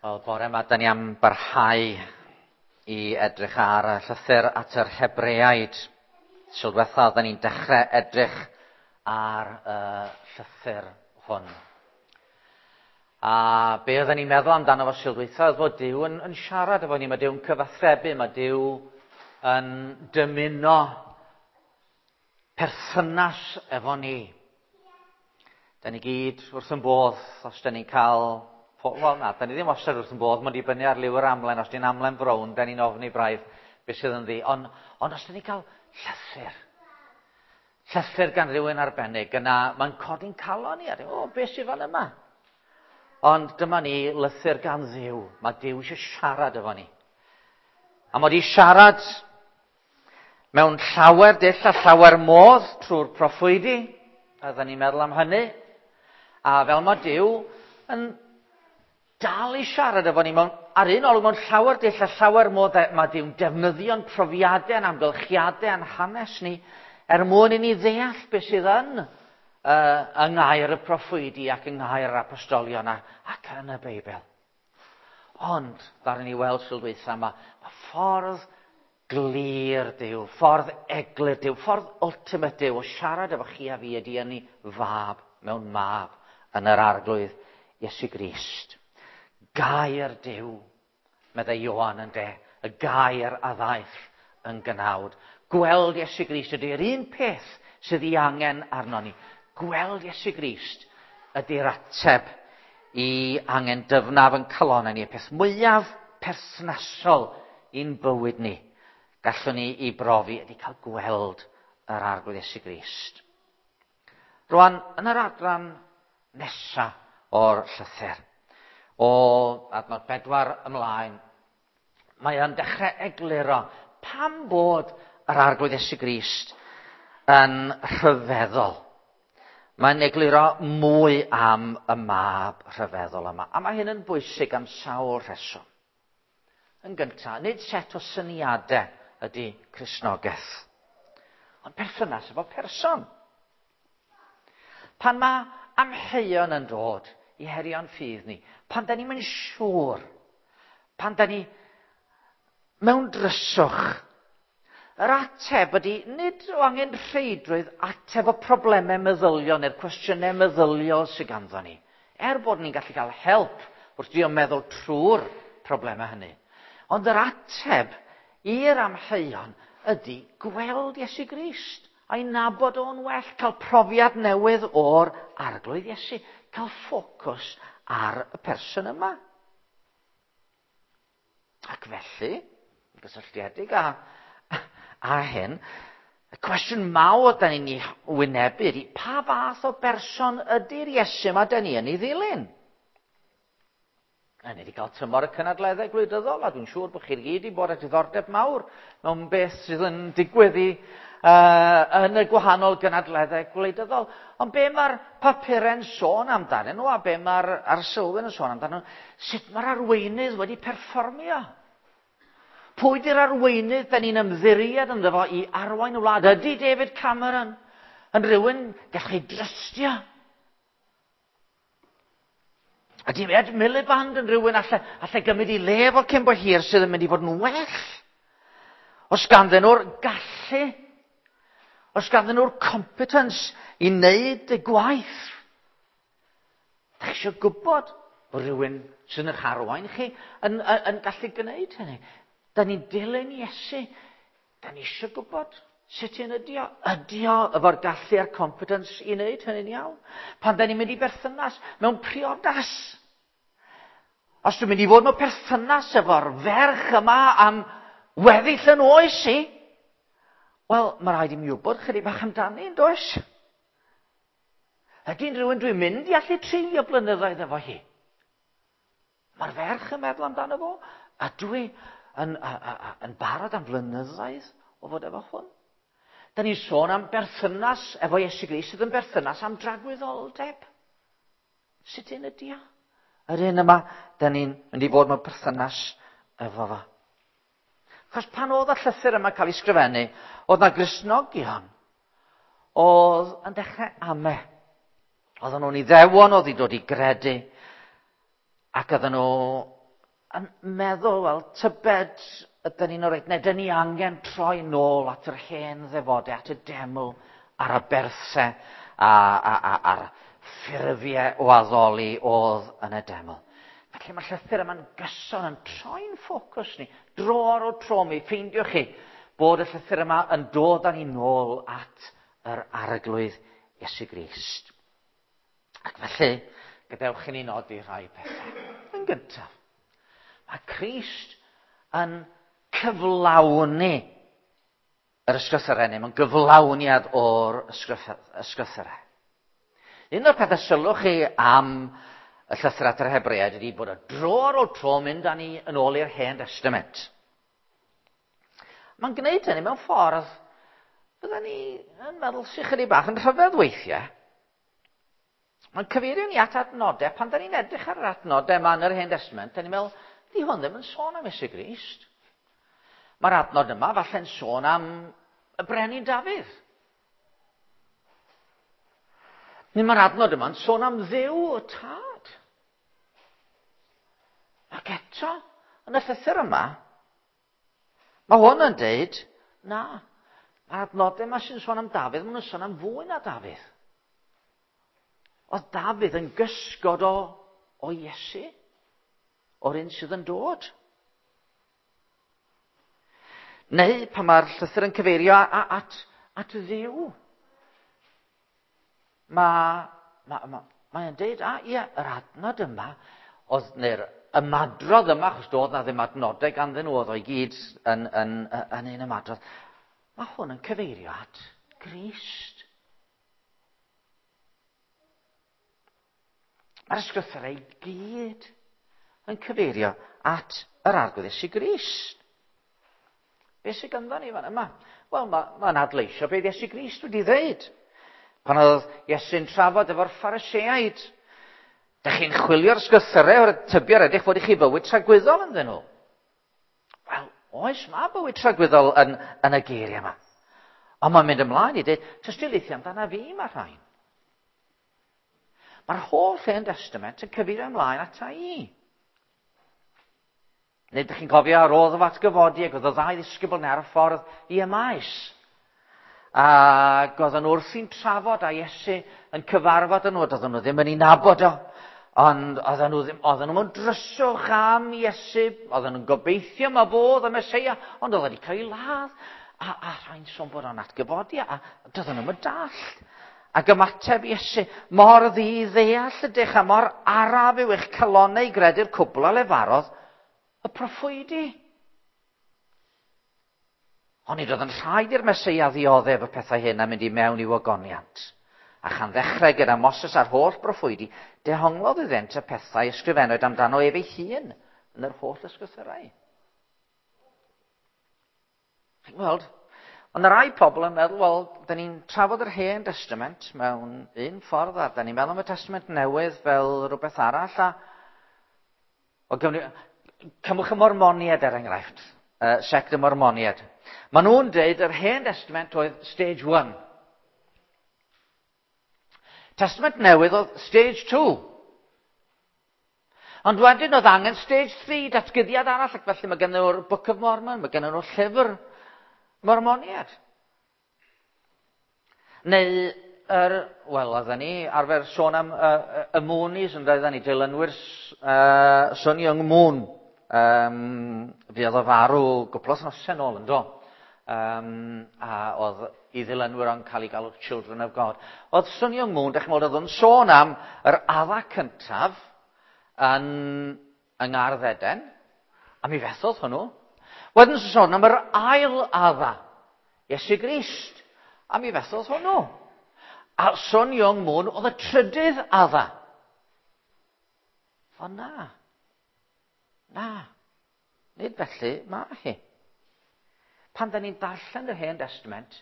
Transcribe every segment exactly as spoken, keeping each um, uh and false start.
Wel, bore yma, da ni am barhau i edrych ar y llythyr at yr Hebreaid. Sul diwetha, da ni'n dechrau edrych ar y llythyr hwn. A be oedden ni'n meddwl amdano fo Sul dwytha oedd fod Duw yn, yn siarad efo ni, mae Duw'n cyfathrebu, mae Duw yn dymuno perthynas efo ni. Da ni gyd wrth yn bodd os da ni'n cael... Wel na, da ni ddim wastad wrth yn bodd, mae'n dibynnu ar liw yr amlen. Os di'n amlen frown, da ni'n ofni braidd beth sydd ynddi. Ond, ond os da ni'n cael llythyr, llythyr gan rywun arbennig, yna mae'n codi'n calon ni, a o, beth sydd fan yma? Ond dyma ni lythyr gan Dduw. Mae Duw eisiau siarad efo ni. A mae wedi siarad mewn llawer dull a llawer modd trwy'r proffwydi, a dda ni'n meddwl am hynny. A fel mae Duw yn dal i siarad efo ni mewn, ar un olwg mewn llawer dull a llawer modd, mae Duw'n defnyddio'n profiadau a'n amgylchiadau a'n hanes ni er mwyn i ni ddeall beth sydd yn uh, yng ngair y proffwydi ac yng ngair yr apostolion a, ac yn y Beibl. Ond, ddaru ni weld Sul dwytha yma, mae ffordd glir Duw, ffordd eglur Duw, ffordd ultimate Duw o siarad efo chi a fi ydy yn ei fab mewn mab yn yr Arglwydd Iesu Grist. Gair Duw, meddai Ioan yn de, y gair a ddaeth yn gnawd. Gweld Iesu Grist ydy'r un peth sydd ei angen arno ni. Gweld Iesu Grist ydy'r ateb i angen dyfnaf yn calonau ni, y peth mwyaf perthnasol i'n bywyd ni. Gallwn ni i brofi ydy cael gweld yr Arglwydd Iesu Grist. Rwan, yn yr adran nesa o'r llythyr, o adnod bedwar ymlaen, mae o'n dechrau egluro pam bod yr Arglwydd Iesu Grist yn rhyfeddol. Mae'n egluro mwy am y mab rhyfeddol yma. A mae hyn yn bwysig am sawl rheswm. Yn gyntaf, nid set o syniadau ydy Cristnogaeth, ond perthynas efo person. Pan mae amheuon yn dod i herio'n ffydd ni, pan da ni'n mynd siŵr, pan da ni mewn dryswch, yr ateb ydy nid o angen rheidrwydd ateb o problemau meddyliol neu'r cwestiynau meddyliol sydd ganddo ni. Er bod ni'n gallu cael help wrth drio meddwl trwy'r problemau hynny. Ond yr ateb i'r amheuon ydy gweld Iesu Grist a'i nabod o'n well, cael profiad newydd o'r Arglwydd Iesu, cael ffocws ar y person yma. Ac felly, yn gysylltiedig â, â hyn, y cwestiwn mawr da ni'n ei wynebu ydy, pa fath o berson ydy'r Iesu yma da ni yn ei ddilyn? A ni wedi cael tymor y cynadleddau gwleidyddol, a dwi'n siŵr bod chi'r gyd i bod â diddordeb mawr mewn beth sydd yn digwydd i, uh, yn y gwahanol gynadleddau gwleidyddol. Ond be mae'r papurau'n sôn amdanyn nhw, a be mae'r arsylwyr yn sôn amdanyn nhw, sut mae'r arweinydd wedi perfformio? Pwy di'r arweinydd da ni'n ymddiried ynddo fo i arwain y wlad? Ydy David Cameron yn rhywun gallwch chi drystio? Ydy Ed Miliband yn rhywun allai, allai gymryd i le fo cyn bo hir sydd yn mynd i fod yn well? Os ganddyn nhw'r gallu, os ganddyn nhw'r competence i wneud y gwaith, da chi eisiau gwybod bod rhywun sy'n eich arwain chi yn, yn, yn gallu gwneud hynny. Da ni'n dilyn Iesu. Da ni eisiau gwybod sut un ydi o. Ydi o efo'r gallu a'r competence i wneud hynny'n iawn? Pan da ni'n mynd i berthynas mewn priodas. Os dwi'n mynd i fod mewn perthynas efo'r ferch yma am weddill yn oes i, wel, mae rhaid i mi wybod chydig bach amdani, yn does? Ydy'n rhywun dwi'n mynd i allu treulio blynyddoedd efo hi? Mae'r ferch yn meddwl amdano fo, a dwi yn, a, a, a, yn barod am flynyddoedd o fod efo hwn. Da ni'n sôn am berthynas efo Iesu Grist sydd yn berthynas am dragwyddoldeb. Sut un ydi o? Yr un yma, da ni'n mynd i fod mewn perthynas efo fo. Achos pan oedd y llythyr yma cael ei sgrifennu, oedd na Gristnogion oedd yn dechrau ame. Oedden nhw'n iddewon, oedd i dod i gredu, ac oedden nhw yn meddwl, wel, tybed ydyn ni'n oreit, neu dyn ni angen troi nôl at yr hen ddefodau, at y deml, a'r aberthau, a, a, a, a'r ffurfiau o addoli oedd yn y deml. Felly mae'r llythyr yma'n gyson yn troi'n ffocws ni, dro ar ôl tro mi ffeindiwch chi bod y llythyr yma yn dod â ni nôl at yr Arglwydd Iesu Grist. Ac felly, gadewch i ni nodi rhai pethau. Yn gyntaf, mae Crist yn cyflawni yr ysgrythurau, neu mae'n gyflawniad o'r ysgrythurau. Un o'r pethau sylwch chi am y llythyr at yr Hebreaid ydy bod y dro ar ôl tro mynd â ni yn ôl i'r Hen Testament. Mae'n gwneud hynny mewn ffordd fydden ni yn meddwl sy'n chydig bach yn rhyfedd weithiau. Mae'n cyfeirio ni at adnodau. Pan da ni'n edrych ar yr adnodau yma yn yr Hen Testament, da ni'n meddwl, di hwn ddim yn sôn am Iesu Grist. Mae'r adnod yma falle'n sôn am y brenin Dafydd. Neu mae'r adnod yma'n sôn am Dduw y Tad. Ac eto, yn y llythyr yma, mae hwn yn deud, na, mae'r adnodau yma sy'n sôn am Dafydd, maen nhw'n sôn am fwy na Dafydd. Oedd Dafydd yn gysgod o, o Iesu, o'r un sydd yn dod. Neu pan mae'r llythyr yn cyfeirio at, at Dduw. Mae, mae, mae, mae'n deud, a ie, yr adnod yma, oedd, neu'r ymadrodd yma, achos doedd na ddim adnodau ganddyn nhw, oedd o'i gyd yn, yn, yn un ymadrodd. Mae hwn yn cyfeirio at Grist. Mae'r ysgrythurau i gyd yn cyfeirio at yr Arglwydd Iesu Grist. Be sydd ganddo ni fan yma? Wel, mae'n ma adleisio beth Iesu Grist wedi ddeud. Pan oedd Iesu'n trafod efo'r Phariseaid, dych chi'n chwilio'r ysgrythurau o'r tybio'r edrych fod i chi bywyd tragwyddol ynddyn nhw. Wel, oes, mae bywyd tragwyddol yn, yn y geiriau yma. Ond mae'n mynd ymlaen i dweud, tystiolaethu amdana fi mae rhain. Mae'r holl Hen Testament yn cyfeirio ymlaen ata i. Neu ydych chi'n cofio ar ôl iddo atgyfodi ac oedd y ddau ddisgybl ar y ffordd i Emaus. Ac oedden nhw wrthi'n trafod a Iesu yn cyfarfod yn nhw, doedden nhw ddim yn ei nabod o. Ond oedden nhw ddim, oedden nhw mewn dryswch am Iesu, oedden nhw'n gobeithio ma fo oedd y Meseia, ond oedd wedi cael ei ladd. A, a rhain sôn bod o'n atgyfodi, a doedden nhw'n dallt. Ac ymateb Iesu, mor ddi-ddeall ydych a mor araf yw eich calonnau i gredu'r cwbl a lefarodd y proffwydi. Ond nid oedd yn rhaid i'r Meseia ddioddef y pethau hyn a mynd i mewn i'w ogoniant. A chan ddechrau gyda Moses a'r holl broffwydi, dehonglodd iddynt y pethau ysgrifennwyd amdano ef ei hun yn yr holl ysgrythurau. Chi'n gweld? Ond rai pobl yn meddwl, wel, da ni'n trafod yr Hen Testament mewn un ffordd, a da ni'n meddwl am y Testament Newydd fel rhywbeth arall, a o gymryd, cymwch y Mormoniaid er enghraifft, uh, sect y Mormoniaid. Maen nhw'n deud yr Hen Testament oedd stage one. Testament Newydd oedd stage two. Ond wedyn oedd angen stage three, datguddiad arall, ac felly mae gen nhw'r Book of Mormon, mae gen nhw'r llyfr Mormoniad. Neu, yr, wel, oedden ni arfer sôn am uh, y Moonies, yn oedden ni, dilynwyr uh, Sun Myung Moon. Um, fuodd o farw gwpl o wythnosau nôl, yn do. Um, a oedd i ddilynwyr o'n cael ei galw Children of God. Oedd Sun Myung Moon, dych chi'n meddwl, oedd o'n sôn am yr adda cyntaf yn, yng Ngardd Eden, a mi fethodd hwnnw. Wedyn sôn am yr ail adda, Iesu Grist, a mi fethodd hwnnw. A Sun Myung Moon oedd y trydydd adda. O na, na, nid felly mae hi. Pan da ni'n darllen yr Hen Testament,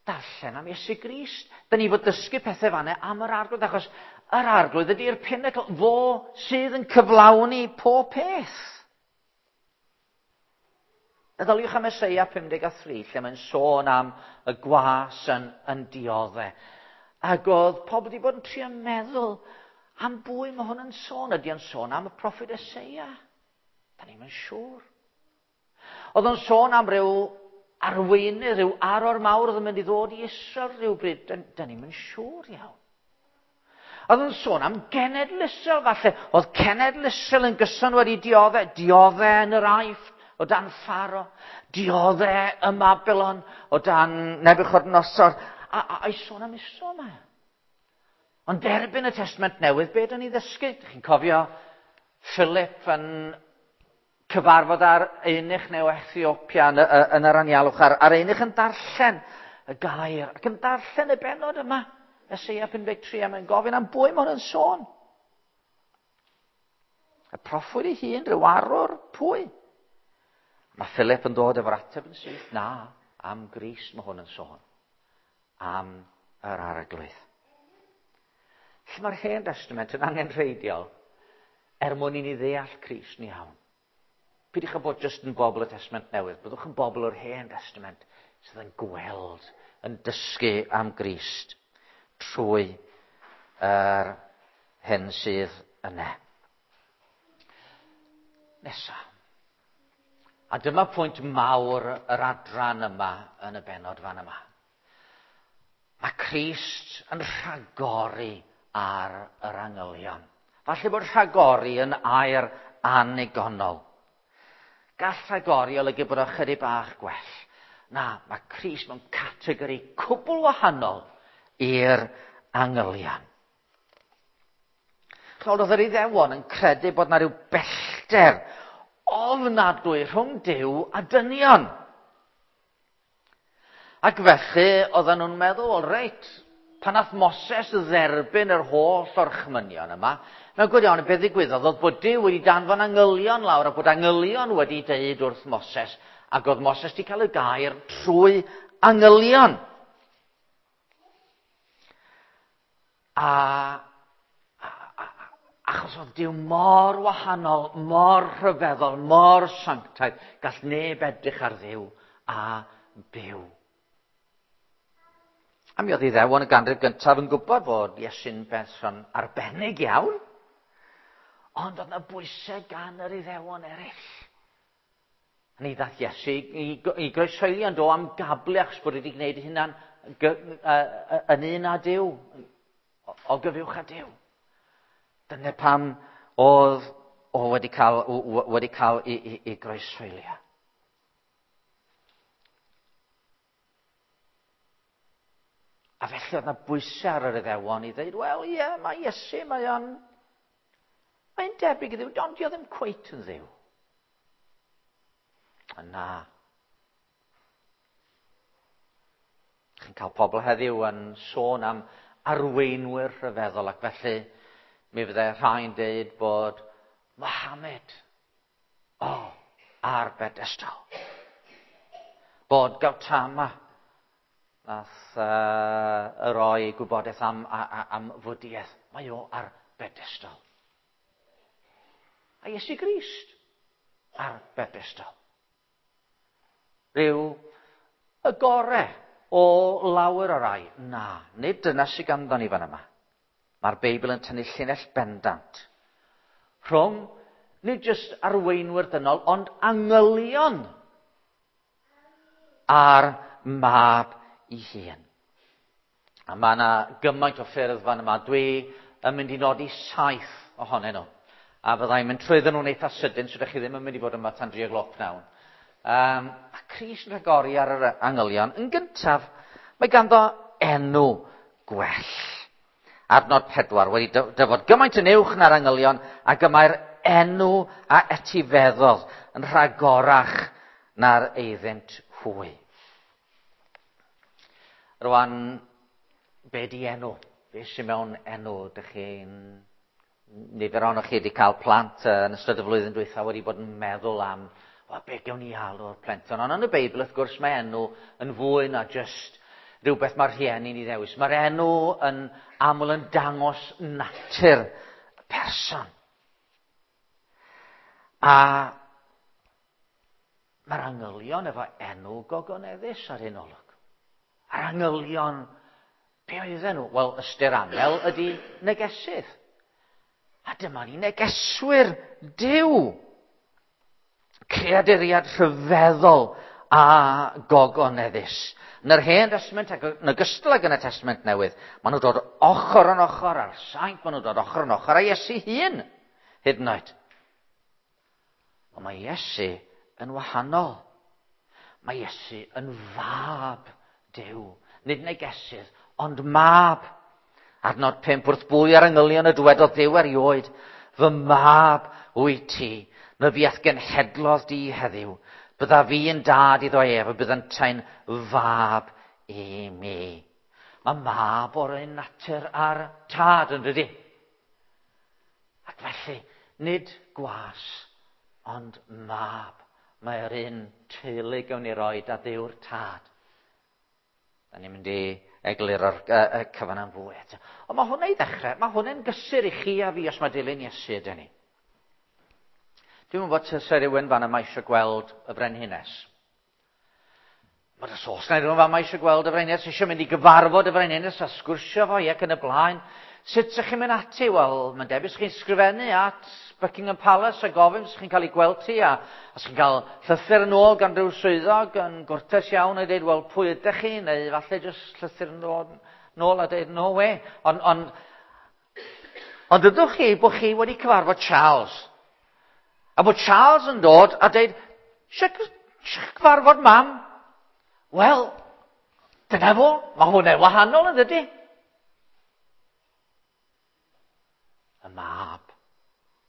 darllen am Iesu Grist. Da ni fod dysgu pethau fanna am yr Arglwydd, achos yr Arglwydd ydy'r pinnacle, fo sydd yn cyflawni pob peth. Meddyliwch am Eseia pum deg a thri, lle mae'n sôn am y gwas yn, yn dioddef. Ac oedd pobl wedi bod yn trio meddwl am bwy mae hwn yn sôn. Ydy o'n sôn am y proffwyd Eseia? Da ni'm yn siŵr. Oedd o'n sôn am ryw arweinydd, rhyw arwr mawr oedd yn mynd i ddod i Israel rhywbryd. Da, da ni'm yn siŵr iawn. Oedd yn sôn am genedl Israel falle. Oedd cenedl Israel yn gyson wedi dioddau, dioddau yn yr Aifft o dan Pharo, dioddau ym Mabilon o dan Nebuchadnezzar, a, a, a i sôn am Israel yma. Ond derbyn y Testament Newydd, be dyn ni ddysgu? Dych chi'n cofio Philip yn cyfarfod ar eunuch neu Ethiopia yn, yn yr anialwch, a'r, a'r eunuch yn darllen y gair, ac yn darllen y bennod yma. Eseia pum deg tri, a mae'n gofyn am bwy mae hwn yn sôn. Y proffwyd ei hun, rhyw arwr, pwy? Mae Philip yn dod efo'r ateb yn syth. Na, am Grist mae hwn yn sôn. Am yr Arglwydd. Felly mae'r Hen Testament yn angenrheidiol er mwyn i ni ddeall Crist yn iawn. Peidiwch â bod jyst yn bobl y Testament Newydd, byddwch yn bobl o'r Hen Testament sydd yn gweld, yn dysgu am Grist trwy yr hyn sydd yna. Nesa. A dyma pwynt mawr yr adran yma yn y bennod fan yma. Mae Crist yn rhagori ar yr angylion. Falle bod rhagori yn air annigonol. Gall rhagori olygu bod o chydig bach gwell. Na, mae Crist mewn categori cwbl wahanol i'r angylion. Ch'mod, oedd yr Iddewon yn credu bod 'na ryw bellter ofnadwy rhwng Duw a dynion. Ac felly oedden nhw'n meddwl, wel reit, pan nath Moses dderbyn yr holl orchmynion yma, mewn gwirionedd beth ddigwyddodd oedd bod Duw wedi danfon angylion lawr a bod angylion wedi deud wrth Moses, ac oedd Moses wedi cael y gair trwy angylion. A, a, a achos oedd Duw mor wahanol, mor rhyfeddol, mor sanctaidd, gall neb edrych ar Dduw a byw. A mi oedd Iddewon y ganrif gyntaf yn gwybod bod Iesu'n berson arbennig iawn, ond oedd yna bwysau gan yr Iddewon eraill. A ni ddaeth Iesu i, i, i groeshoelio yn do am gablu achos bod wedi gwneud ei hunan yn un â Duw, o gyfuwch â Duw. Dyna pam oedd o wedi cael, wedi cael ei, ei, ei groeshoelio. A felly oedd yna bwysau ar yr Iddewon i ddweud, wel ie, mae Iesu, mae o'n mae'n debyg i Dduw, ond dio ddim cweit yn Dduw. A na. Chi'n cael pobl heddiw yn sôn am arweinwyr rhyfeddol, ac felly mi fyddai rhai'n deud bod Mohammed, o, oh, ar bedestal. Bod Gautama, nath uh, roi gwybodaeth am, am fwdiaeth, mae o ar bedestal. A Iesu Grist ar bedestal. Rhyw y gore o lawer o rai. Na, nid dyna sydd ganddo ni fan yma. Mae'r Beibl yn tynnu llinell bendant rhwng nid jyst arweinwyr dynol, ond angylion a'r mab ei hun. A mae yna gymaint o ffyrdd fan yma. Dwi yn mynd i nodi saith ohonyn nhw. A fyddai'n mynd trwyddyn nhw'n eitha sydyn, so ydych chi ddim yn mynd i fod yma tan dri o gloch pnawn. Um, a Crist yn rhagori ar yr angylion. Yn gyntaf, mae ganddo enw gwell. Adnod pedwar, wedi dyfod gymaint yn uwch na'r angylion, ac y mae'r enw a etifeddodd yn rhagorach na'r eiddynt hwy. Rwan, be di enw? Be sy'n mewn enw? Dych chi'n... Nifer ohonoch chi wedi cael plant yn ystod y flwyddyn dwytha wedi bod yn meddwl am, wel, be gewn ni alw'r plentyn? Ond yn y Beibl, wrth gwrs, mae enw yn fwy na jyst rhywbeth mae'r rhieni'n ei ddewis. Mae'r enw yn aml yn dangos natur y person. A mae'r angylion efo enw gogoneddus ar un olwg. A'r angylion, be oedden nhw? Wel, ystyr angel ydy negesydd. A dyma ni negeswyr Duw. Creaduriad rhyfeddol a gogoneddus. Yn yr Hen Testament ac yn ogystal ag yn y Testament Newydd, maen nhw'n dod ochr yn ochr â'r saint, maen nhw'n dod ochr yn ochr â Iesu hun, hyd yn oed. Ond mae Iesu yn wahanol. Mae Iesu yn fab Duw. Nid negesydd, ond mab. Adnod pump, wrth bwy ar angylion y dywedodd Duw erioed, fy mab wyt ti, myfi a'th genhedlodd di heddiw. Bydda fi yn dad iddo ef, a bydd yntau'n fab i mi. Mae mab o'r un natur a'r tad, yn dydi? Ac felly, nid gwas, ond mab. Mae'r un teulu gawn ni roed a Dduw'r tad. Da ni'n mynd i egluro'r y cyfan am fwy eto. Ond mae hwnna i ddechrau, mae hwnna'n gysur i chi a fi os mae dilyn Iesu ydyn ni. Dwi'n gwybod bod rhywun fan yma eisiau gweld y frenhines. Mae os oes na rhywun fan yma eisiau gweld y frenhines, eisiau mynd i gyfarfod y frenhines a sgwrsio fo ac yn y blaen. Sut ydych chi'n mynd ati? Wel, mae'n debyg chi'n sgrifennu at Buckingham Palace a gofyn os chi'n cael ei gweld ti a os chi'n cael llythyr yn ôl gan rhyw swyddog yn gwrtais iawn a dweud, wel, pwy ydych chi? Neu falle jyst llythyr yn ôl, nôl a dweud, no way. Ond on, ond ydwch chi bod chi wedi cyfarfod Charles. A bod Charles yn dod a dweud, eisiau cyfarfod mam? Wel, dyna fo, mae hwnna'n wahanol yn dydy. Y mab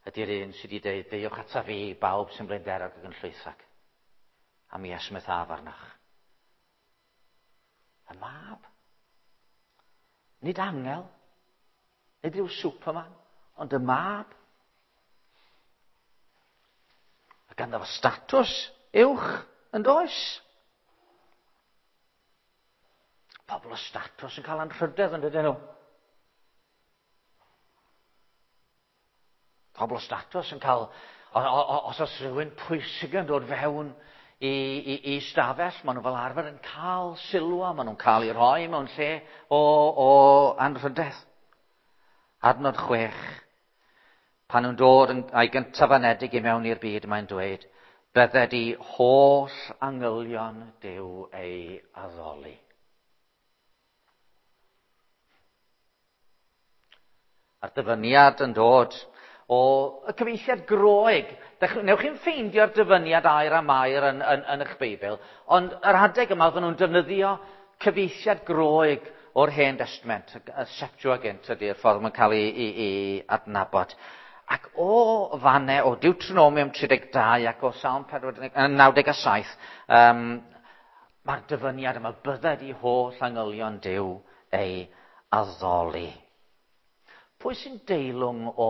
ydy'r un sydd wedi dweud, deuwch ata fi, bawb sy'n blinderog ac yn llwythag. A mi esmwythaf arnoch. Y mab. Nid angel, nid rhyw Superman, ond y mab. A ganddo fo statws uwch yn does? Pobl o statws yn cael anrhydedd yn dydyn nhw. Pobl o statws yn cael, os oes rhywun pwysig yn dod fewn i, i, i stafell, maen nhw fel arfer yn cael sylw, a maen nhw'n cael ei rhoi mewn lle o, o anrhydedd. Adnod chwech. Pan nhw'n dod yn, a'i gyntaf anedig i mewn i'r byd, mae'n dweud, bydded i holl angylion Duw ei addoli. A'r dyfyniad yn dod o y cyfieithiad Groeg. Newch chi'n ffeindio'r dyfyniad air am air yn, yn, yn eich Beibl, ond yr adeg yma oedden nhw'n defnyddio cyfieithiad Groeg o'r Hen Testament, y Septuagint ydy'r ffordd mae'n cael ei, ei, ei adnabod. Ac o fanne, o Deuteronomium tri deg dau ac o Salm naw deg saith, um, mae'r dyfyniad yma, bydded i holl angylion Duw ei addoli. Pwy sy'n deilwng o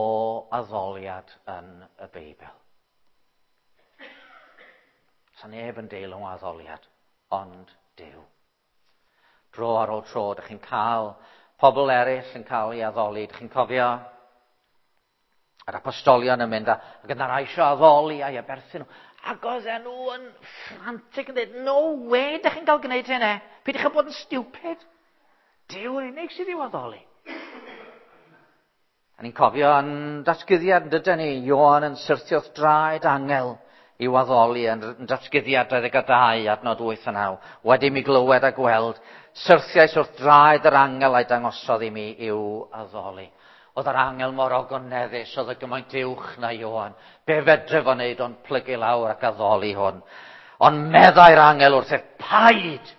addoliad yn y Beibl? Sa neb yn deilwng o addoliad, ond Duw. Dro ar ôl tro, dych chi'n cael pobl eraill yn cael ei addoli. Dych chi'n cofio yr apostolion yn mynd a, ac yna rai eisiau addoli a'i aberthu nhw. Ac oedden nhw yn frantic yn dweud, no way, dych chi'n cael gwneud hynny. Peidiwch â bod yn stupid. Duw yn unig sydd i'w addoli. A ni'n cofio yn datguddiad, yn dydyn ni, Ioan yn syrthio wrth draed angel i'w addoli yn datguddiad dau ddeg dau, adnod wyth a naw. Wedi mi glywed a gweld, syrthiais wrth draed yr angel a'i dangosodd i mi i'w addoli. Oedd yr angel mor ogoneddus, oedd y gymaint uwch na Ioan. Be fedre fo wneud ond plygu lawr ac addoli hwn. Ond meddai'r angel wrth ef, paid!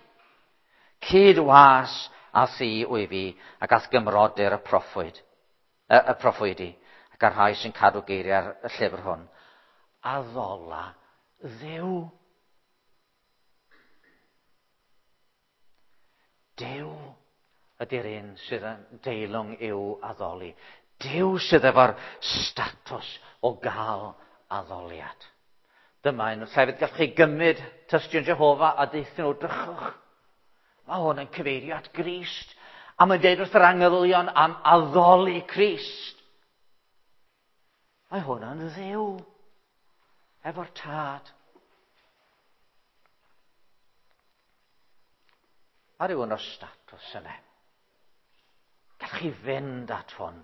Cyd was a thi wy fi, ac ath gymrodyr y proffwyd. Y, y proffwydi, ac ar rhai sy'n cadw geiriau'r llyfr hwn. Addola Dduw. Duw ydy'r un sydd yn deilwng i'w addoli. Duw sydd efo'r statws o gael addoliad. Dyma un o'r llefydd gallwch chi gymryd tystion Jehofa a deuthyn nhw, drychwch. Mae hwn yn cyfeirio at Grist. A mae'n deud wrth yr angylion am addoli Crist. Mae hwn yn Dduw efo'r tad. Mae rhywun o'r statws yna. Gallwch chi fynd at hwn.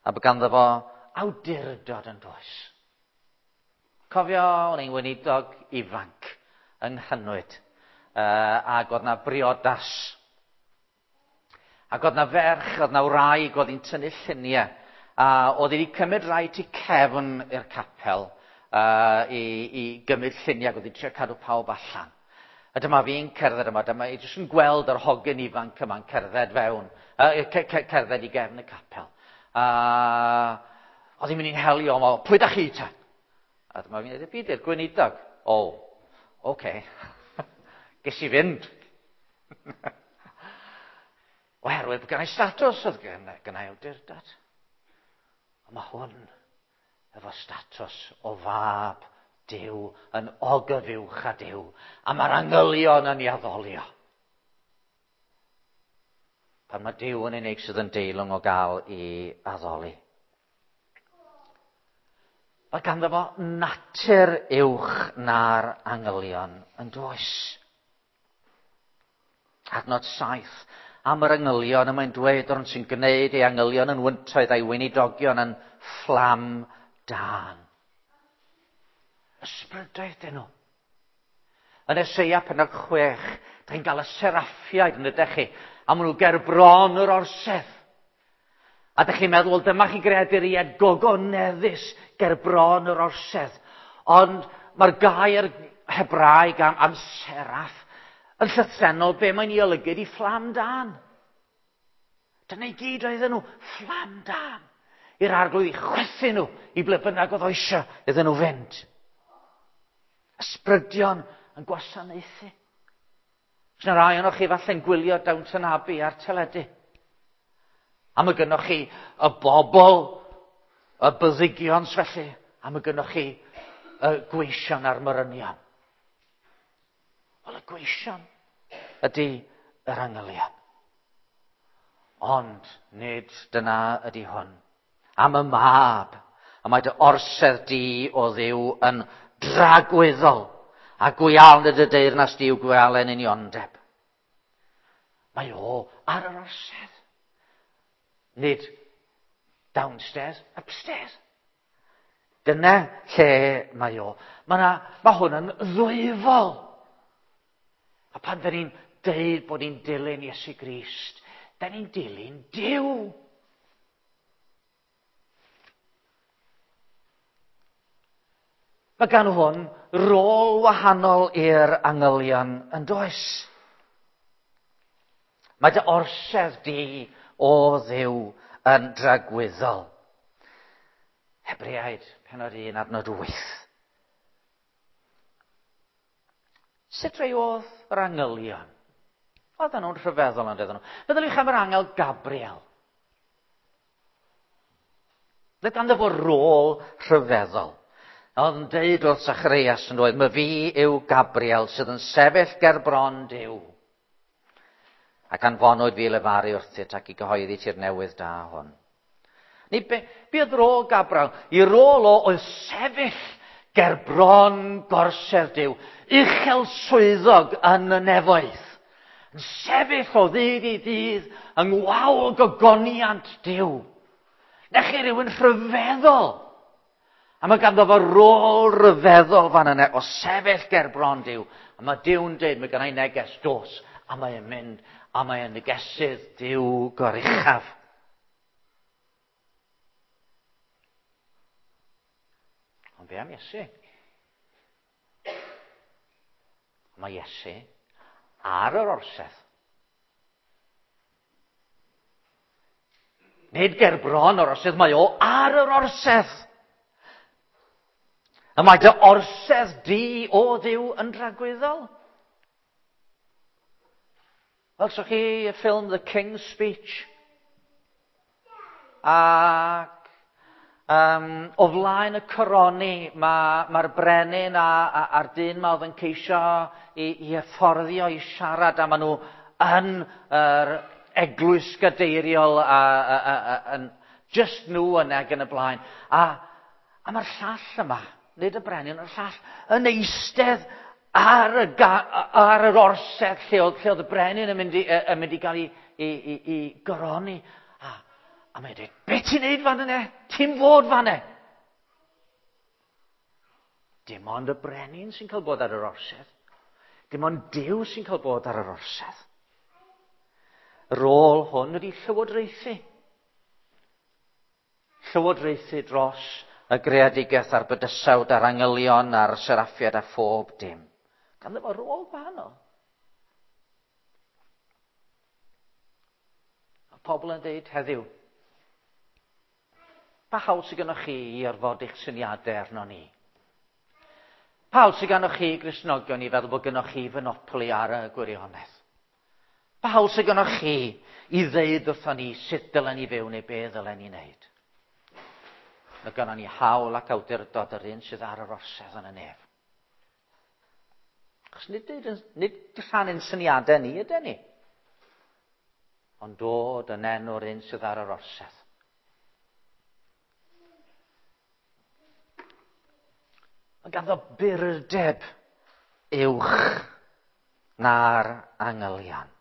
A bod ganddo fo awdurdod yn does. Cofio, o'n i'n weinidog ifanc yng Nghynwyd, uh, ac oedd na briodas. Ac oedd na ferch, oedd na wraig, oedd hi'n tynnu lluniau, a oedd hi wedi cymryd rai tu cefn i'r capel uh, i, i gymryd lluniau, ac oedd hi'n trio cadw pawb allan. A dyma fi'n cerdded yma, dyma i jyst yn gweld yr hogyn ifanc yma'n cerdded fewn, uh, cerdded i gefn y capel. A oedd hi'n mynd i'n helio, o, pwy da chi ta? A dyma fi'n dweud, fi di'r gweinidog. O, oce. Okay. Ges i fynd. Oherwydd bod gennai statws, oedd gennai awdurdod. Ond mae hwn efo statws o fab Duw yn ogyfuwch a Duw. A mae'r angylion yn ei addolio. Pan mae Duw yn unig sydd yn deilwng o gael ei addoli. Mae ganddo fo natur uwch na'r angylion yn does. Adnod saith, am yr angylion, y mae'n dweud o'r sy'n gwneud ei angylion yn wyntoedd a'i weinidogion yn fflam dân. Ysbrydoedd dyn nhw. Yn Eseia pennod chwech, da chi'n cael y seraffiaid yn ydych chi, a maen nhw ger bron yr orsedd. A dych chi'n meddwl, wel, dyma chi greaduriaid gogoneddus ger bron yr orsedd. Ond mae'r gair Hebraeg am, am seraff yn llythrennol be mae'n ei olygu ydi fflam dân. Dyna i gyd oedden nhw, fflam dân. I'r arglwydd i chwythu nhw i ble bynnag oedd o eisiau iddyn nhw fynd. Ysbrydion yn gwasanaethu. Os yna rai ohonoch chi falle'n gwylio Downton Abbey ar teledu. A mae gynnoch chi y bobl, y byddigion felly, a mae gynnoch chi y gweision a'r morynion. Wel, y gweision ydy yr angylion. Ond nid dyna ydy hwn. Am y mab, a mae dy orsedd di o Dduw yn dragwyddol, a gwialen dy deyrnas di yw gwialen uniondeb. Mae o ar yr orsedd. Nid downstairs, upstairs. Dyna lle mae o. Mae, na, mae hwn yn ddwyfol. A pan dyn ni'n deud bod ni'n dilyn Iesu Grist, dyn ni'n dilyn Duw. Mae gan hwn rôl wahanol i'r angylion yn does. Mae dy orsedd di o Dduw yn dragwyddol. Hebreaid, pennod un, adnod wyth. Sut rei oedd yr angylion? Oedden nhw'n rhyfeddol yn doedden nhw. Meddyliwch am yr angel Gabriel. Roedd ganddo fo rôl rhyfeddol. Oedd yn deud wrth Zacharias yn dweud, "My fi yw Gabriel sydd yn sefyll ger bron Duw. Ac anfonwyd fi lefaru wrthyt ac i gyhoeddi ti'r newydd da hwn." Ni be, be oedd rôl Gabriel? I rôl o oedd sefyll ger bron gorsedd Duw, uchel swyddog yn y nefoedd. Yn sefyll o ddydd i ddydd yng ngwawl gogoniant Duw. Na chi rhywun rhyfeddol. A mae ganddo fo rôl rhyfeddol fan yna o sefyll ger bron Duw. A mae Duw'n dweud, mae gennai neges dos. A mae'n mynd, a mae'n negesydd Duw goruchaf. Ond be am Iesu? Mae Iesu ar yr orsedd. Nid ger bron o'r orsedd, mae o ar yr orsedd. A mae dy orsedd di o Dduw yn dragwyddol. Welsoch chi y ffilm The King's Speech? Ac um, o flaen y coroni, mae'r ma brenin a, a, a'r dyn ma oedd yn ceisio i, i hyfforddio i siarad, a maen nhw yn yr eglwys gadeiriol a, a, a, a, a, just nhw yna ac yn y blaen. A, a mae'r llall yma, nid y brenin, y llall, yn eistedd ar y, ar yr orsedd lle oedd, lle oedd y brenin yn mynd i, yn mynd i gael ei, ei, ei, ei goroni. A, a mae'n dweud, be ti'n neud fan yna? Ti'n fod fan yna? Dim ond y brenin sy'n cael bod ar yr orsedd. Dim ond Duw sy'n cael bod ar yr orsedd. Y rôl hwn ydy llywodraethu. Llywodraethu dros y greadigaeth a'r bydysawd a'r angylion a'r seraffiad a phob dim. Ganddo fo rôl gwahanol. Mae pobl yn dweud heddiw, pa hawl sydd gennych chi i orfod eich syniadau arno ni? Pa hawl sydd gennych chi, Gristnogion, i feddwl bod gennych chi fonopoli ar y gwirionedd? Pa hawl sydd gennych chi i ddeud wrthon ni sut dylen ni fyw neu be ddylen ni wneud? Mae gennym ni hawl ac awdurdod yr un sydd ar yr orsedd yn y nef. Achos nid, nid rhannu'n syniadau ni ydyn ni, ond dod yn enw'r un sydd ar yr orsedd. Mae ganddo burdeb uwch na'r angylion.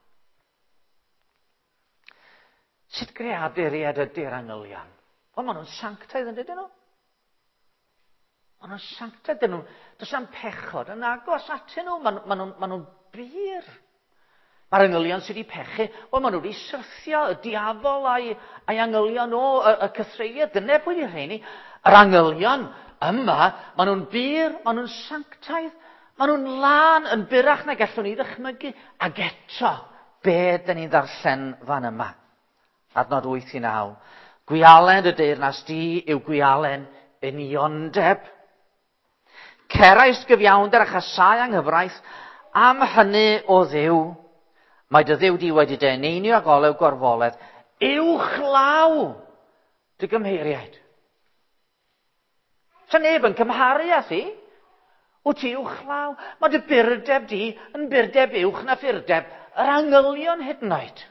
Sut greaduriaid ydy'r angylion? Wel, maen nhw'n sanctaidd yn dydyn nhw? Maen nhw'n sanctaidd, dyn nhw. Does na'm pechod yn agos atyn nhw. Maen, maen nhw'n, maen nhw'n bur. Mae'r angylion sydd wedi pechu, wel, maen nhw wedi syrthio y diafol a'i, a'i angylion o, y, y cythreuliad. Dyna pwy 'di rheini. Yr angylion yma, maen nhw'n bur, maen nhw'n sanctaidd, maen nhw'n lân yn burach na gallwn ni ddychmygu. Ac eto, be dyn ni'n ddarllen fan yma? Adnod wyth i naw. Gwialen dy deyrnas di yw gwialen uniondeb. Cerais gyfiawnder a chasau anghyfraith, am hynny o Dduw. Mae dy Dduw di wedi dy eneinio ag olew gorfoledd, uwchlaw dy gymheiriaid. Sa neb yn cymharu â thi. Wyt ti uwchlaw. Mae dy burdeb di yn burdeb uwch na phurdeb yr angylion hyd yn oed.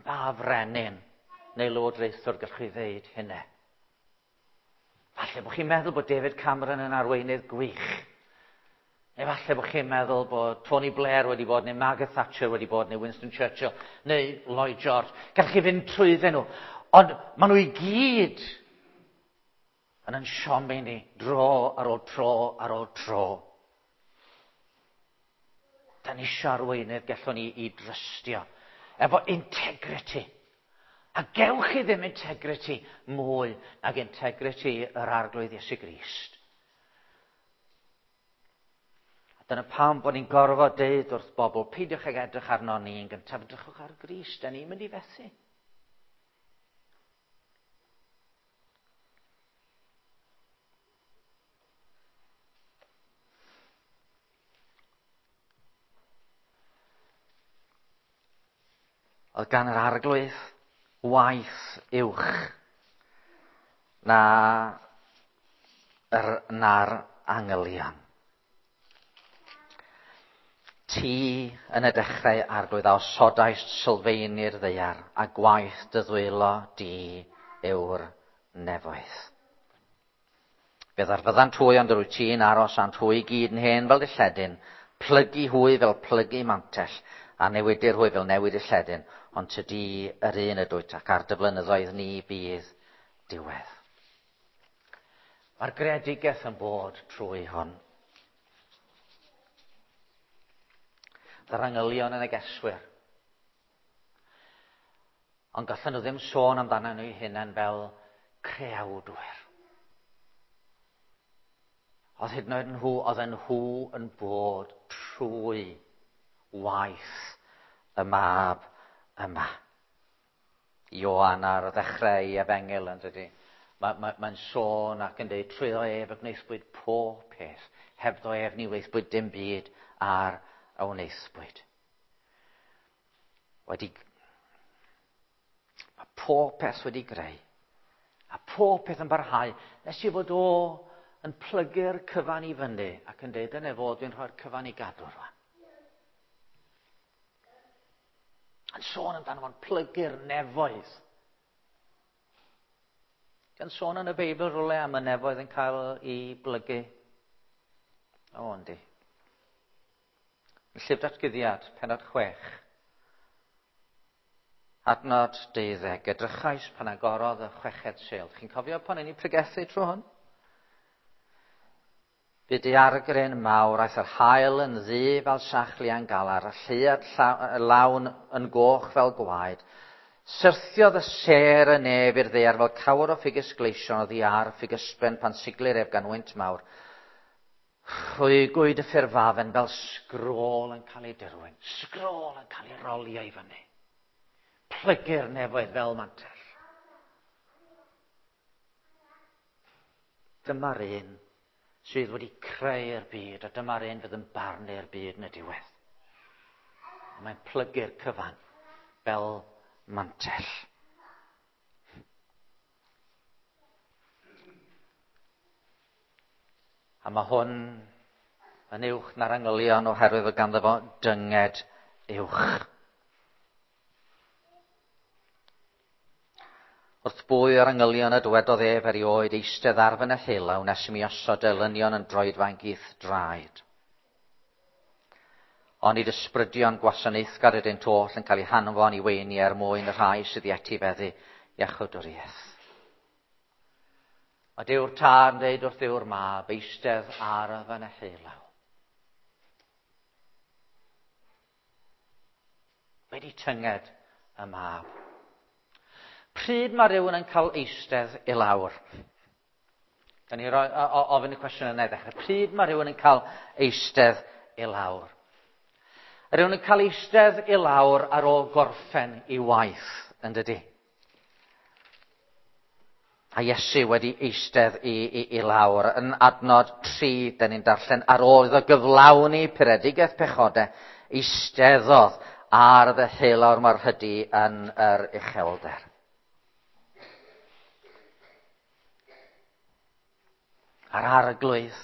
Ba frenin neu lywodraethwr gallwch chi ddeud hynny? Falle bod chi'n meddwl bod David Cameron yn arweinydd gwych. Neu falle bod chi'n meddwl bod Tony Blair wedi bod, neu Margaret Thatcher wedi bod, neu Winston Churchill, neu Lloyd George. Gallwch chi fynd trwyddyn nhw. Ond maen nhw i gyd yn yn siomi ni dro ar ôl tro ar ôl tro. Da ni eisiau arweinydd gallwn ni i drystio. Efo integrity. A gewch chi ddim integrity mwy nag integrity yr Arglwydd Iesu Grist. A dyna pam bod ni'n gorfod deud wrth bobl, peidiwch ag edrych arno ni yn gyntaf, edrychwch ar Grist, da ni'n mynd i fethu. Oedd gan yr Arglwydd waith uwch na yr, na'r angylion. Ti yn y dechrau, Arglwydd, a osodaist sylfaeni'r ddaear, a gwaith dy ddwylo di yw'r nefoedd. Fe ddarfyddant hwy, ond yr wyt ti'n aros ânt hwy i gyd yn hen fel dilledyn, plygu hwy fel plygu mantell, a newidir hwy fel newid y lledyn, ond tydi yr un ydwyt ac ar dy flynyddoedd ni bydd diwedd. Mae'r greadigaeth yn bod trwy hwn. Yr angylion yn y geswyr. Ond gallan nhw ddim sôn amdano nhw eu hunain fel creawdwyr. Oedd hyd yn oed nhw, oedd nhw yn bod trwy waith y mab yma. Ioan ar ddechrau ei efengyl yn dydy. Mae'n ma, ma sôn ac yn dweud trwyddo ef y gwnaethpwyd pob peth. Hebddo ef ni wnaethpwyd dim byd ar a wnaethpwyd. Wedi, mae pob peth wedi greu. A pob peth yn barhau nes i fod o yn plygu'r cyfan i fyny ac yn dweud dyna fo, dwi'n rhoi'r cyfan i gadw rwan. Yn sôn amdano fo'n plygu'r nefoedd. Gan sôn yn y Beibl rhywle am y nefoedd yn cael ei blygu. O, yndi. Yn Llyfr Datguddiad, pennod chwech. Adnod deuddeg, edrychais pan agorodd y chweched sêl. Chi'n cofio pan o'n i'n pregethu trwy hwn? Bu daeargryn mawr, aeth yr haul yn ddu fel sachlian galar, a lleuad lawn yn goch fel gwaed. Syrthiodd y sêr y nef i'r ddaear fel cawr o ffigys gleision oddi ar ffigysben pan siglir ef gan wynt mawr. Rhwygwyd y ffurfafen fel sgrôl yn cael ei dirwyn, sgrôl yn cael ei rolio i fyny. Plygu'r nefoedd fel mantell. Dyma'r un sydd wedi creu'r byd, a dyma'r un fydd yn barnu'r byd yn y diwedd. A mae'n plygu'r cyfan fel mantell. A mae hwn yn uwch na'r angylion oherwydd fod ganddo fo dynged uwch. Wrth bwy o'r angylion y dywedodd ef erioed eistedd ar fy neheullaw nes i mi osod elynion yn droedfainc i'th draed. Ond nid ysbrydion gwasanaethgar ydynt oll yn cael eu hanfon i weini er mwyn y rhai sydd i etifeddu iachawdwriaeth. Mae Duw'r Tad yn dweud wrth Dduw'r Mab, eistedd ar fy neheullaw. Wedi tynged y Mab. Pryd mae rhywun yn cael eistedd i lawr? Gan i roi, o, ofyn y cwestiwn yna i ddechrau. Pryd mae rhywun yn cael eistedd i lawr? Rhywun yn cael eistedd i lawr ar ôl gorffen i waith, yn dydi? A Iesu wedi eistedd i, i, i lawr. Yn adnod tri, dyn ni'n darllen, ar ôl iddo gyflawni puredigaeth pechodau, eisteddodd ar ddeheulawr mor hydi yn yr uchelder. A'r arglwydd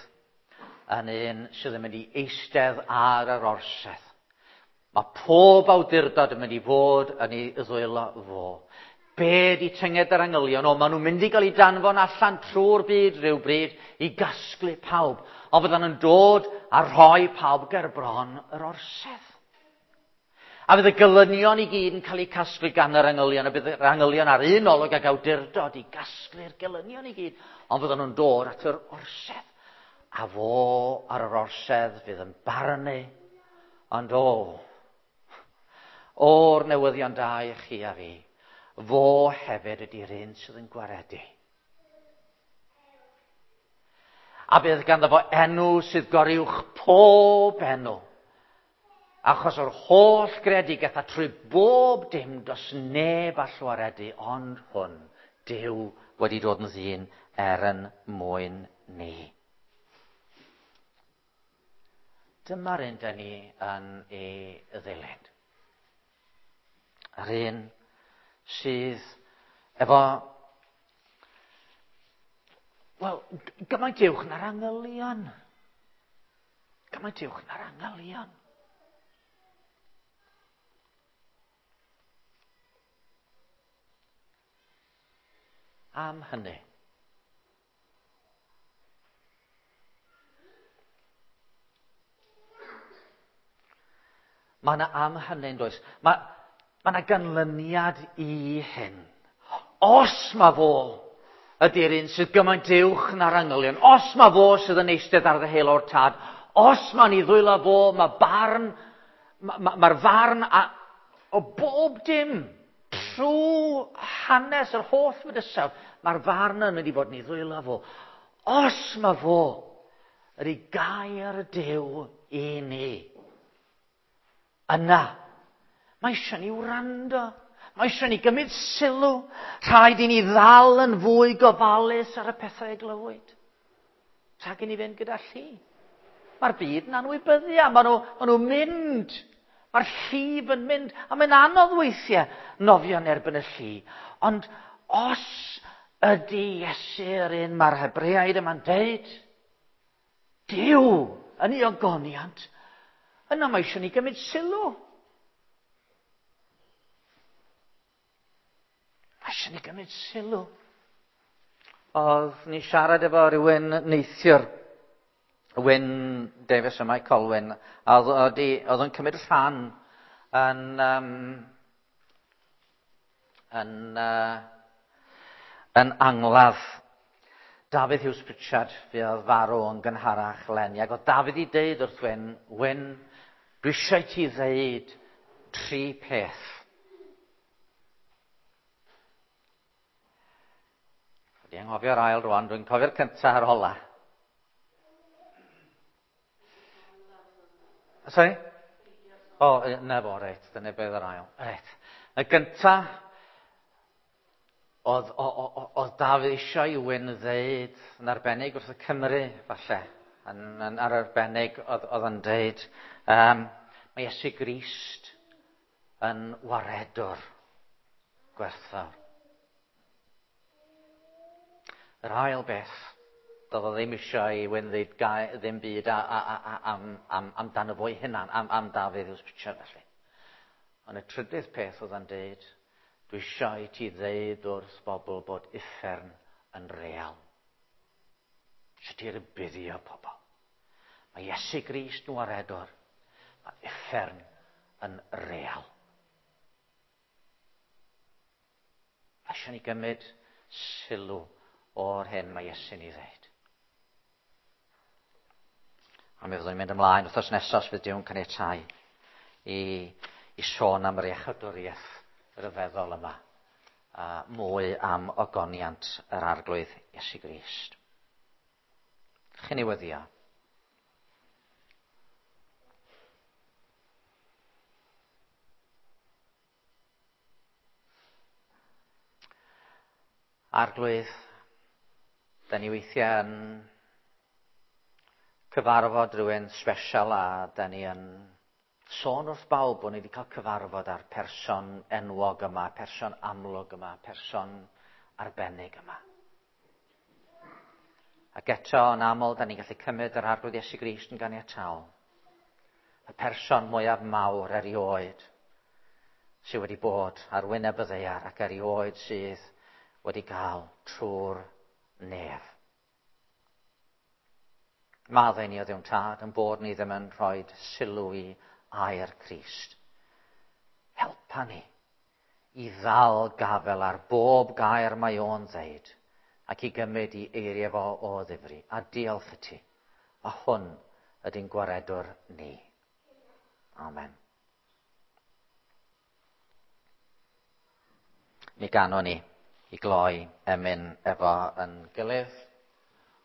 yn un sydd yn mynd i eistedd ar yr orsedd. Mae pob awdurdod yn mynd i fod yn ei ddwylo fo. Be di tynged yr angylion? O, maen nhw'n mynd i gael eu danfon allan trwy'r byd rhywbryd i gasglu pawb. Ond fyddan nhw'n dod a rhoi pawb ger bron yr orsedd. A fydd y gelynion i gyd yn cael eu casglu gan yr angylion, a bydd yr angylion ar un olwg ag awdurdod i gasglu'r gelynion i gyd, ond fyddan nhw'n dod at yr orsedd. A fo ar yr orsedd fydd yn barnu, ond o, o'r newyddion da i chi a fi, fo hefyd ydy'r un sydd yn gwaredu. A bydd ganddo fo enw sydd goruwch pob enw. Achos o'r holl greadigaeth a trwy bob dim does neb all waredu ond hwn, Duw wedi dod yn ddyn er yn mwyn ni. Dyma'r un dyn ni yn ei ddilyn. Yr un sydd efo, wel, gymaint uwch na'r angylion. Gymaint uwch na'r angylion. Am hynny. Mae yna am hynny, yn does? Mae, mae yna ganlyniad i hyn. Os mae fo ydy'r un sydd gymaint uwch na'r angylion, os mae fo sydd yn eistedd ar ddeheulaw'r Tad, os mae'n ei ddwylo fo, mae barn, mae'r ma, ma farn a, o bob dim trwy hanes yr holl fydysawd, mae'r farn yn mynd i fod yn ei ddwylo fo. Os mae fo ydy gair Duw i ni, yna, mae eisiau ni wrando, mae eisiau ni gymryd sylw, rhaid i ni ddal yn fwy gofalus ar y pethau y glywyd. Rhag i ni fynd gyda lli. Mae'r byd yn anwybyddu, a maen nhw, maen nhw'n mynd. Mae'r llif yn mynd, a mae'n anodd weithiau nofio yn erbyn y lli. Ond os ydy Iesu yr un mae'r Hebreaid yma'n deud, Duw yn ei ogoniant, yna mae eisiau ni gymryd sylw. Mae eisiau ni gymryd sylw. Oedd ni siarad efo rhywun neithiwr, Wyn Davies yma i Colwyn, a oedd, oedd, oedd yn cymryd rhan yn um, yn, uh, yn angladd Dafydd Hughes Pritchard, fuodd farw yn gynharach leni. Ac oedd Dafydd i deud wrth Wyn, Wyn, dwi eisiau ti ddeud tri peth. Wedi anghofio'r ail rwan, dwi'n cofio'r cyntaf a'r ola. Sorry? O, na fo, reit, dyna beth yr ail. Reit. Y gyntaf, oedd, oedd Dafydd eisiau i Wyn ddeud yn arbennig wrth y Cymru, falle. Yn, yn, ar arbennig oedd, oedd yn deud, um, mae Iesu Grist yn waredwr gwerthfawr. Yr ail beth, doedd o ddim eisiau i Wyn ddeud gai, ddim byd a, a, a, a, am, am, amdano fo'i hunan, am, am Dafydd Hughes Pritchard felly. Ond y trydydd peth oedd yn deud, dwi eisiau i ti ddeud wrth bobl bod uffern yn real. Eisiau ti rybuddio pobl. Mae Iesu Grist yn waredwr. Mae uffern yn real. Mae eisiau ni gymryd sylw o'r hyn mae Iesu'n ei ddeud. A mi fyddwn ni'n mynd ymlaen wythnos nesaf os fydd Duw'n caniatáu i, i sôn am yr iechydwriaeth ryfeddol yma. A mwy am ogoniant yr Arglwydd Iesu Grist. Chi'n ei weddio? Arglwydd, da ni weithiau yn cyfarfod rhywun special a da ni yn sôn wrth bawb bod ni wedi cael cyfarfod â'r person enwog yma, person amlwg yma, person arbennig yma. Ac eto, yn aml, da ni'n gallu cymryd yr Arglwydd Iesu Grist yn ganiataol. Y person mwyaf mawr erioed sydd wedi bod ar wyneb y ddaear ac erioed sydd wedi cael trwy'r nef. Maddau ni o Dduw'n Tad yn bod ni ddim yn rhoi sylw i air Crist. Helpa ni i ddal gafel ar bob gair mae o'n ddeud ac i gymryd i eiriau fo o ddifri. A diolch i ti. A hwn ydy'n gwaredwr ni. Amen. Mi ganon ni i gloi emyn efo yn gilydd.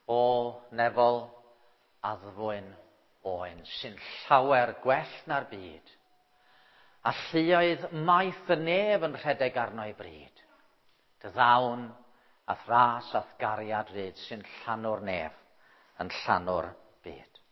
O nefol addfwyn oen sy'n llawer gwell na'r byd. A lluoedd maith y nef yn rhedeg arno i bryd. Dy ddawn a thras a'th gariad ryd sy'n llanw'r nef, yn llanw'r byd.